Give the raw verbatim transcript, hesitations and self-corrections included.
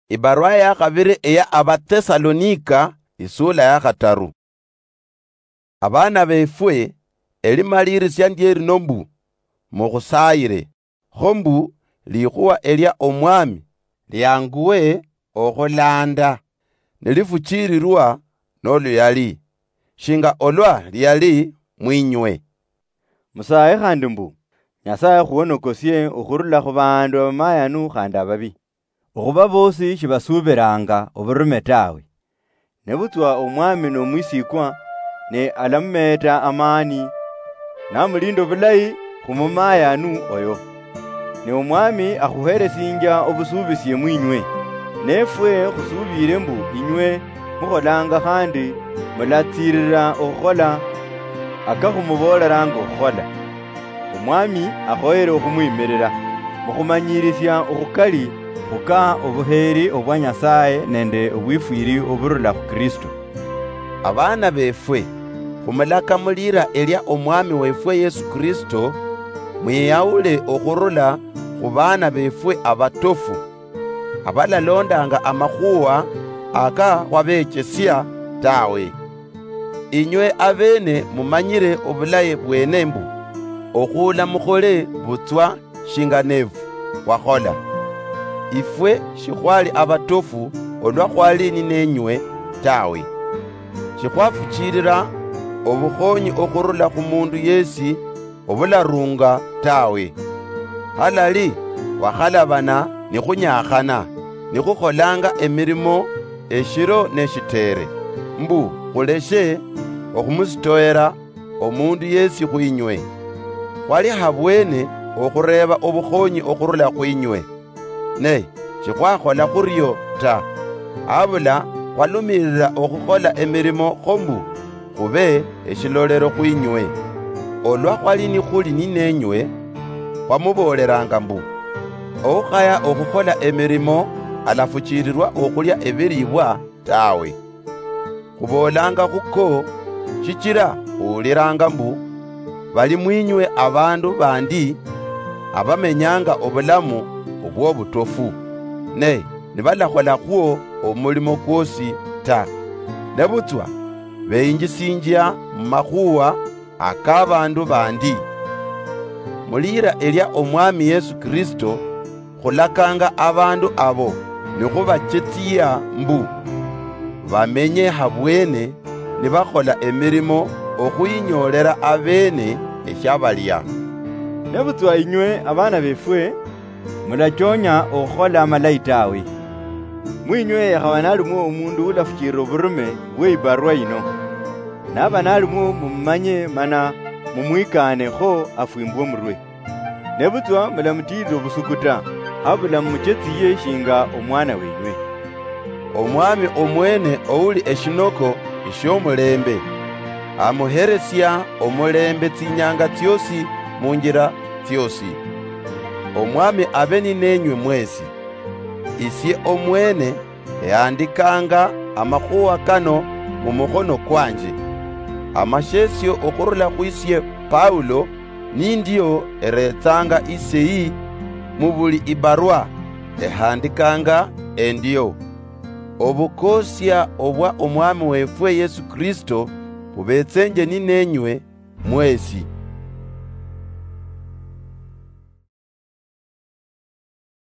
Ibarua ya khabiri eya Abathesalonika, isula ya khataru. Abana befwe, elimalirisia ndie lino mbu, mukhusayire, kho mbu likhuwa elia Omwami lianguwe okhulanda, nilifuchirirwa noluyali, shinga olwa liali mwinywe. Musaye khandi mbu, Nyasaye akhuhonokosie okhurula khu bandu abamayanu khandi ababi. Okhuba boosi shibasuubiranga oburume tawe. Nebutswa Omwami nomwisikwa, ne alamumeeta amaani, namulinda obulayi khumumayanu oyo. Ne Omwami akhuheresinjia obusuubisie mwinywe. Nefwe khusuubire mbu inywe mukholanga khandi mulatsirira okhukhola akakhumuboleranga okhukhola. Omwami akhoyere okhumwimirira, mukhumanyirisia okhukali khuka obuheeri obwa Nyasaye nende obwifwiri oburula khu Kristo. Abana befwe, khumulaka mulira elia Omwami wefwe Yesu Kristo, mwiyaule okhurula khu bana befwe abatofu, abalalondanga amakhuwa aka khwabechesia tawe. Inywe abene mumanyire obulayi bwene mbu, okhuula mukhole butswa shinga nefu khwakhola. Ifwe shikhwali abatofu olwa khwali ninenywe tawe. Shikhwafuchilira obukhonyi okhurula khu mundu yesi obularunga tawe. Halali khwakhalabana nikhunyakhana, nikhukholanga emirimo eshiro neshitere, mbu khuleshe okhumusitoera omundu yesi khwinywe. Khwali habwene okhureeba obukhonyi okhurula khwinywe, ne shikhwakhola khurio ta, habula khwalumirira okhukhola emirimo kho mbu khube eshilolero khwinywe. Olwa khwali nikhuli ninenywe, khwamuboleranga mbu, oukhaya okhukhola emirimo alafuchirirwa okhulia ebiribwa tawe. Khuboolanga khuko, shichira khuwuliranga mbu, bali mwinywe abandu bandi abamenyanga obulamu obwobutofu, ne nibalakhola khwo omulimo kwosi ta, nebutswa beyinjisinjia mumakhuwa akabandu bandi. Mulira elia Omwami Yesu Kristo, khulakanga abandu abo nikhubachetsia mbu, bamenye habwene nibakhola emirimo okhwinyoolera abene eshiabalia. Nebutswa inywe abana befwe, mulachonya okhukhola amalayi tawe. Mwinywe yakhaba nalimwo omundu ulafuchilira oburume bwe ibarwa yino. Naba nalimwo mumumanye mana mumwikaane kho afwimbwe omurwe. Nebutswa mulamutiilira obusuku ta, habula mumuchetsiye shinga omwana wenywe. Omwami omwene ouli eshinoko eshiomulembe, amuheresia omulembe tsinyanga tsiosi munjira tsiosi. Omwami abe ninenywe mwesi. Isie omwene ehandikanga amakhuwa kano mumukhono kwanje. Amashesio okhurula khwisie Paulo, nindio eretsanga iseyi mubuli ibarwa ehandikanga endio. Obukosia obwa Omwami wefwe Yesu Kristo bubetsenje ninenywe mwesi.